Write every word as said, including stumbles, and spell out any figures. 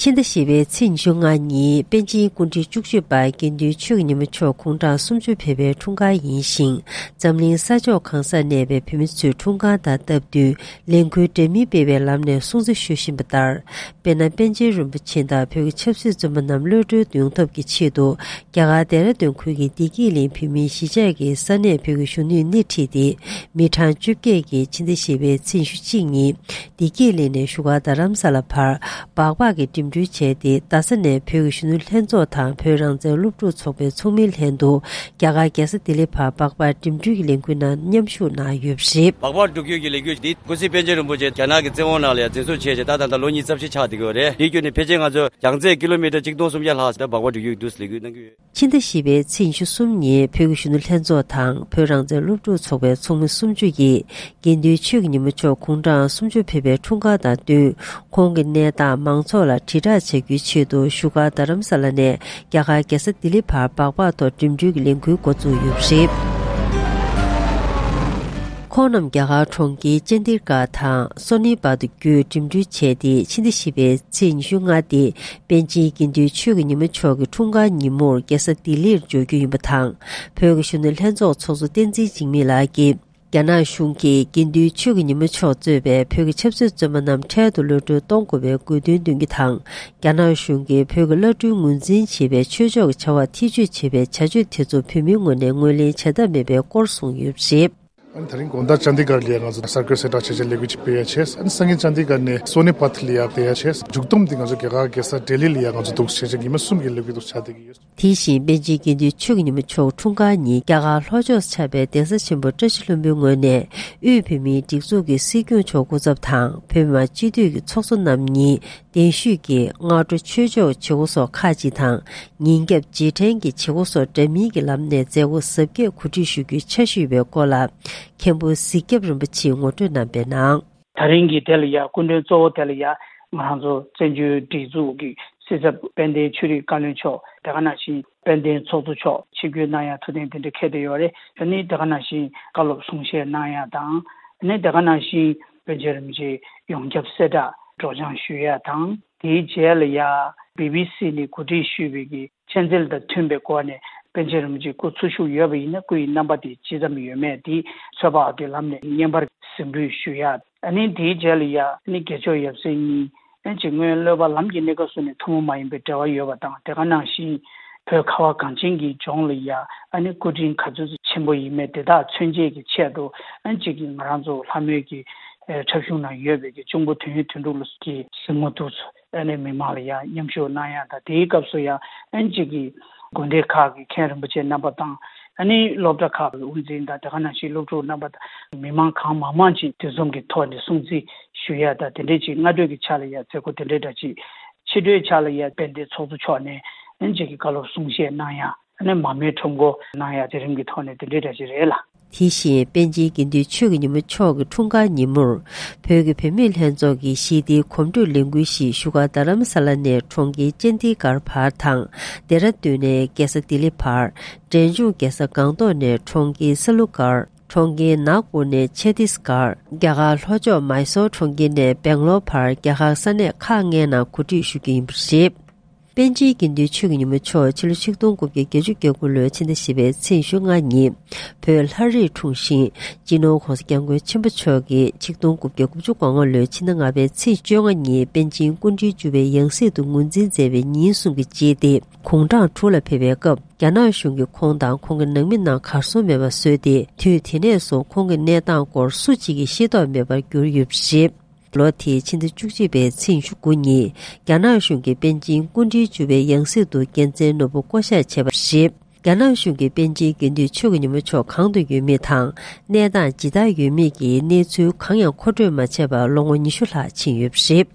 ཕྱི་ཟླ་བཞི་པའི་ཚེས་ཉི་ཤུ་ལྔ་ཉིན་པཎ་ཆེན་སྐུ་ཕྲེང་བཅུ་གཅིག་པ་དགེ་འདུན་ཆོས་ཀྱི་ཉི་མ་མཆོག་དགུང་གྲངས་སུམ་ཅུ་ཕེབས་པའི་འཁྲུངས་སྐར་ཡིན་ཞིང་། འཛམ་གླིང་ས་ཕྱོགས་གང་སར་གནས་པའི་བོད་མི་ཚོས་འཁྲུངས་སྐར་དང་སྟབས་བསྟུན་ལས་འགུལ་འདྲ་མིན་སྤེལ་བའི་ལམ་ནས་སྲུང་བརྩི་ཞུ་བཞིན་པ་ལྟར། དཔེར་ན། པཎ་ཆེན་རིན་པོ་ཆེ་དང་བོད་ཀྱི་ཆབ་སྲིད་བཙོན་པ་རྣམས་གློད་གྲོལ་ཡོང་ཐབས་ཀྱི་ཆེད་དུ། རྒྱ་གར་ལྡེ་ར་ལྡུན་ཁུལ་གྱི་བདེ་སྐྱིད་གླིང་བོད་མིའི་གཞིས་ཆགས་ཀྱི་ས་གནས་བོད་ཀྱི་གཞོན་ནུས་སྣེ་ཁྲིད་དེ། མི་གྲངས་བཅོ་བརྒྱད་ཀྱིས་ཕྱི་ཟླ་བཞི་པའི་ཚེས་ཉི་ཤུ་གཅིག་ཉིན། བདེ་སྐྱིད་གླིང་ནས་བཞུགས་སྒར་རྡ་རམ་ས་ལ་བར་སྦག་སྦག་གི་འགྲིམ་འགྲུལ་བྱས་ཏེ། རྡ་ས་ནས་བོད་ཀྱི་གཞོན་ནུ་ལྷན་ཚོགས་དང་བོད་རང་བཙན་སློབ་ཕྲུག་ཚོགས་པའི་ཚོགས་མིའི་ལྷན་དུ། རྒྱ་གར་རྒྱལ་ས་ལྡི་ལི་བར་སྦག་སྦག་འགྲིམ་འགྲུལ་གྱི་ལས་འགུལ་ནང་མཉམ་ཞུགས་གནང་ཡོད་པ་རེད། སྦག་སྦག་འགྲུལ་སྐྱོད་ཀྱི་ལས་འགུལ་འདི། སྐུ་ཚེ་པཎ་ཆེན་རིན་པོ་ཆེ་རྒྱ་ནག་གི་བཙན་དབང་ནང་ལ་ཡང་འཛིན་བཟུང་བྱས་རྗེས་ད་ད་ལྟ་ལོ་ཉི་ཤུ་རྩ་བཞི་ཆགས་བསྡད་ཀྱི་ཡོད་རེད། དེའི་བརྒྱུད་ནས་ཕལ་ཆེར་ང་ཚོ་རྒྱང་ཚད་ཀི་ལོ་མི་ཊར་གཅིག་སྟོང་སུམ་བརྒྱ་ལྷག་ཙམ་སྦག་སྦག་འགྲུལ་སྐྱོད་ཀྱི་འདུག་ལས་འགུལ་གནང་གི་ཡོད། ཕྱི་ཟླ་བཞི་པའི་ཚེས་ཉི་ཤུ་གསུམ་ཉིན་བོད་ཀྱི་གཞོན་ནུ་ལྷན་ཚོགས་དང་བོད་རང་བཙན་སློབ་ཕྲུག་ཚོགས་པའི་ཚོགས་མི་སུམ་ཅུ་ཡིས་དགེ་འདུན་ཆོས་ཀྱི་ཉི་མ་མཆོག་དགུང་གྲངས་སུམ་ཅུ་ཕེབས་པའི་འཁྲུངས་སྐར་དང་བསྟུན། ཁོང་གི་གནས་སྟངས་མང་ཚོགས་ལ་དྲིལ་བསྒྲགས་བྱ་རྒྱུའི་ཆེད་དུ་བཞུགས་སྒར་རྡ་རམ་ས་ལ་ནས་རྒྱ་གར་རྒྱལ་ས་ལྡི་ལི་བར་སྦག་སྦག་ཐོག་འགྲིམ་འགྲུལ་གྱི་ལས་འགུལ་འགོ་བཙུགས་ཡོད་པ་རེད། ཁོང་རྣམས་རྒྱ་གར་གྲོང་ཁྱེར་ཅན་དི་གྷར་དང་སོ་ནི་པད་བརྒྱུད་འགྲིམ་འགྲུལ་བྱས་ཏེ། ཕྱི་ཟླ་བཞི་པའི་ཚེས་ཉི་ཤུ་ལྔ་སྟེ། པཎ་ཆེན་དགེ་འདུན་ཆོས་ཀྱི་ཉི་མ་མཆོག་གི་འཁྲུངས་སྐར་ཉིན་མོར་རྒྱལ་ས་ལྡི་ལིར་འབྱོར་རྒྱུ་ཡིན་པ་དང་། བོད་ཀྱི་གཞོན་ནུ་ལྷན་ཚོགས་ཚོགས་གཙོ་བསྟན་འཛིན་འཇིགས་མེད་ལགས་ཀྱིས། རྒྱ་ནག་གཞུང་གིས་དགེ་འདུན་ཆོས་ཀྱི་ཉི་མ་མཆོག་གཙོས་པའི་བོད་ཀྱི་ཆབ་སྲིད་བཙོན་པ་རྣམས་འཕྲལ་དུ་གློད་གྲོལ་གཏོང་དགོས་པའི་དགོས་འདུན་འདོན་རྒྱུ་དང་། རྒྱ་ནག་གཞུང་གིས་བོད་ཀྱི་བླ་སྤྲུལ་ངོས་འཛིན་བྱེད་པའི་ཆོས་ཕྱོགས་ཀྱི་བྱ་བར་ཐེ་བྱུས་བྱེད་པའི་བྱ་སྤྱོད་དེ་ཚོ་བོད་མིའི་ངོས་ནས་ངོས་ལེན་བྱ་ཐབས་མེད་པའི་སྐོར་གསུངས་ཡོད་པ་རེད། ཨ་ནི་དེ་རིང་དགོང་དག་ཅན་དི་གྷར་ལ་ཡ་ང་ཚོ་ས་ཁུལ་གསལ་བསྒྲགས་བྱས་བྱས་ལས་འགུལ་ཅིག་སྤེལ་ཡ་བྱས། ཨ་ནི་སང་ཉིན་ཅན་དི་གྷར་ནས་སོ་ནི་པད་ལ་ཡ་བསྡད་ཡ་བྱས། མཇུག་བསྡོམས་འདི་ང་ཚོ་རྒྱ་གར་རྒྱལ་ས་ལྡི་ལི་ལ་ཡ་ང་ཚོ་འདུག་བྱས་བྱས་ཉི་མ་གསུམ་གྱི་ལས་འགུལ་འདུག་ཆགས་བསྡད་ཀྱི་ཡོད། དེ་བཞིན་པཎ་ཆེན་དགེ་འདུན་ཆོས་ཀྱི་ཉི་མ་མཆོག་འཁྲུངས་སྐར་ཉིན་རྒྱ་གར་ལྷོ་ཕྱོགས་སུ་ཆགས་པའི་གདན་ས་ཆེན་པོ་བཀྲ་ཤིས་ལྷུན་པོའི་ངོས་ནས་དབུས་བོད་མིའི་སྒྲིག་འཛུགས་ཀྱི་སྲིད་སྐྱོང་མཆོག་སྐུ་ཚབ་དང་བོད་མི་མང་སྤྱི་འཐུས་ཀྱི་ཚོགས་གཙོ་རྣམ་གཉིས་གདན་ཞུས་ཀྱིས་སྔ་དྲོ་ཆོས་ཕྱོགས་བྱེད་སྒོ་སོགས་ཁག་ཅིག་དང་། ཉིན་རྒྱབ་རྗེས་དྲན་གྱི་བྱེད་སྒོ་སོགས་འདྲ་མིན་གྱི་ལམ་ནས་མཛད་སྒོ་གཟབ་རྒྱས་གོ་སྒྲིག་ཞུ་རྒྱུའི་འཆར་གཞི་ཡོད་པའི་སྐོར་ལ། མཁན་པོ་གཟིག་སྐྱབས་རིན་པོ་ཆེས་ངོ་སྤྲོད་གནང་བའི་ནང་། ད་རིང་གི་དེ་ལ་ཡ་སྐུ་མགྲོན་གཙོ་བོ་དེ་ལ་ཡ་ང་རང་ཚོ་བཙན་བྱོལ་སྒྲིག་འཛུགས་ཀྱི་སྲིད་ཚབ་དཔལ་ལྡན་ཆོས་རིག་བཀའ་བློན་མཆོག་དེ་ག་ནང་བཞིན་དཔལ་ལྡན་ཚོགས་གཙོ་མཆོག་ཆིབས་བསྒྱུར་གནང་ཡ་ཐུགས་གཏན་དེ་འདྲ་འཁེལ་བསྡད་ཡོད་རེད། ཨ་ནི་དེ་ག་ནང་བཞིན་བཀའ་སློབ་གསུང་བཤད་གནང་ཡ་དང་། ཨ་ནི་དེ་ག་ནང་བཞིན་པཎ་ཆེན་རིན་པོ་ཆེ་ཡོངས་ཁྱབ་གསལ་བསྒྲགས་སྒྲོག་སྦྱང་ཞུ་ཡ་དང་། དེའི་རྗེས་ལ་ཡ་བི་བི་སི་ནས་གོ་སྒྲིག་ཞུས་པའི་གི་མཆན་འགྲེལ་དང་མཐུན་པའི་སྒོ་ནས་པཎ་ཆེན་རིན་པོ་ཆེ་སྐུ་འཚོ་བཞུགས་ཡོད་པ་ཡིན་ན་སྐུ་ཡི་རྣམ་པ་དེ་ཇི་ཙམ་ཡོད་མེད་དེ་ཚོད་དཔག་གི་ལམ་ནས་བརྙན་པར་གཟིགས་འབུལ་ཞུ་ཡ། ཨ་ནི་དེའི་རྗེས་ལ་ཡ་ཨ་ནི་དགེ་མཆོག་ཡབ་སྲས་གཉིས་ཨ་ནི་ཅིག་སྔོན་སློབ་པ་ལམ་གྱི་གནས་སྐབས་སུ་ནས་ཐུན་མོང་མ་ཡིན་པའི་འབྲེལ་བ་ཡོད་པ་དང་། དེ་ག་ནང་བཞིན་བོད་ཁ་བ་གངས་ཅན་གྱི་ལྗོངས་ལ་ཡ་ཨ་ནི་སྐུ་དྲིན་ག་ཚོད་ཆེན་པོ་ཡིན་མེད་དེ་དག་མཚོན་བྱེད་ཀྱི་ཆེད་དུ་ཨ་ནི་ཅིག་གི་ང་རང་ཚོ་ལྷ་མོའི་གི་འཁྲབ་གཞུང་ནང་ཡོད་པའི་གི་གཅུང་པོ་དོན་ཡོད་དོན་གྲུབ་ལ་གི་གཟིགས་མོ་འདུག་ཚོ། ཨ་ནི་མི་མང་ལ་ཡང་མཉམ་ཞུགས་གནང་ཡ་དང་། དེའི་སྐབས་སུ་ཡང་ཨ་ནི་གཅིག་གི་དགོན་སྡེ་ཁག་གི་མཁན་རིན་པོ་ཆེ་རྣམ་པ་དང་། ཨ་ནི་སློབ་གྲྭ་ཁག་གི་དབུ་འཛིན་དང་། དེ་ག་ནང་བཞིན་སློབ་ཕྲུག་རྣམ་པ་དང་། མི་མང་གང་མང་མང་ཅིག་དུས་འཛོམས་ཀྱི་ཐོག་ནས་སྲུང་བརྩི་ཞུ་ཡ་དང་། དེ་འདྲའི་ཅིག་སྔ་དྲོ་གི་ཆ་ལ་ཡང་མཛད་སྒོ་དེ་འདྲའི་འདྲ་ཅིག་ཕྱི་དྲོའི་ཆ་ལ་ཡང་དཔལ་ལྡན་ཚོགས་གཙོ་མཆོག་ནས་ཨ་ནི་གཅིག་གི་བཀའ་སློབ་གསུང་བཤད་གནང་ཡ། ཨ་ནི་མར་མེའི་ཁྲོམ་སྐོར་གནང་ཡ་དེ་རིམ་གྱི་ཐོག་ནས་དེ་འདྲའི་འདྲ་ཅིག་རེད་ལ། དེ་བཞིན་པཎ་ཆེན་དགེ་འདུན་ཆོས་ཀྱི་ཉི་མ་མཆོག་གི་འཁྲུངས་སྐར་ཉིན་མོར། བོད་ཀྱི་བུད་མེད་ལྷན་ཚོགས་ཀྱི་ཞི་བདེའི་གོམ་བགྲོད་ལས་འགུལ་ཞིག་བཞུགས་སྒར་རྡ་རམ་ས་ལ་ནས་གྲོང་ཁྱེར་ཅན་དི་གྷར་བར་དང་། ལྡེ་ར་ལྡུན་ནས་རྒྱལ་ས་ལྡི་ལི་བར། འབྲས་ལྗོངས་རྒྱལ་ས་སྒང་ཏོག་ནས་གྲོང་ཁྱེར་ས་ལུ་སྒར། གྲོང་ཁྱེར་ནཱག་པུར་ནས་ཆ་ཏིས་སྒར། རྒྱ་གར་ལྷོ་ཕྱོགས་མཱི་སོར་གྲོང་ཁྱེར་ནས་སྦེང་ལོར་བར་རྒྱ་གར་ས་གནས་ཁག་ལྔའི་ནང་གོ་སྒྲིག་ཞུ་རྒྱུ་ཡིན་པ་རེད། པཎ་ཆེན་དགེ་འདུན་ཆོས་ཀྱི་ཉི་མ་མཆོག་ཕྱི་ལོ་ཆིག་སྟོང་དགུ་བརྒྱ་བརྒྱད་ཅུ་གྱ་དགུ་ལོའི་ཕྱི་ཟླ་བཞི་པའི་ཚེས་ཉི་ཤུ་ལྔ་ཉིན་བོད་ལྷ་རིར་འཁྲུངས་ཤིང་། སྤྱི་ནོར་༸གོང་ས་༸སྐྱབས་མགོན་ཆེན་པོ་མཆོག་གིས་ཆིག་སྟོང་དགུ་བརྒྱ་དགུ་བཅུ་གོ་ལྔ་ལོའི་ཕྱི་ཟླ་ལྔ་པའི་ཚེས་བཅོ་ལྔ་ཉིན་པཎ་ཆེན་སྐུ་ཕྲེང་བཅུ་པའི་ཡང་སྲིད་དུ་ངོས་འཛིན་མཛད་པའི་ཉིན་གསུམ་གྱི་རྗེས་ཏེ། དགུང་གྲངས་དྲུག་ལ་ཕེབས་པའི་སྐབས། རྒྱ་ནག་གཞུང་གིས་ཁོང་དང་ཁོང་གི་ནང་མི་རྣམས་གར་སོང་མེད་པར་བཟོས་ཏེ། དུས་དེ་ནས་བཟུང་ཁོང་གི་གནས་སྟངས་སྐོར་སུ་གཅིག་གིས་ཤེས་རྟོགས་མེད་པར་གྱུར་ཡོད་པ་རེད། ལོ་དེའི་ཕྱི་ཟླ་བཅུ་གཅིག་པའི་ཚེས་ཉི་ཤུ་དགུ་ཉིན། རྒྱ་ནག་གཞུང་གིས་པཎ་ཆེན་སྐུ་ཕྲེང་བཅུ་པའི་ཡང་སྲིད་དུ་རྒྱལ་མཚན་ནོར་བུ་བསྐོ་གཞག་བྱས་པ་རེད། རྒྱ་ནག་གཞུང་གིས་པཎ་ཆེན་དགེ་འདུན་ཆོས་ཀྱི་ཉི་མ་མཆོག་གང་དུ་ཡོད་མེད་དང་། གནས་སྟངས་ཇི་ལྟར་ཡོད་མེད་ཀྱི་གནས་ཚུལ་གང་ཡང་མཁོ་སྤྲོད་མ་བྱས་པར་ལོ་ངོ་ཉི་ཤུ་ལྷག་ཕྱིན་ཡོད་པ་རེད།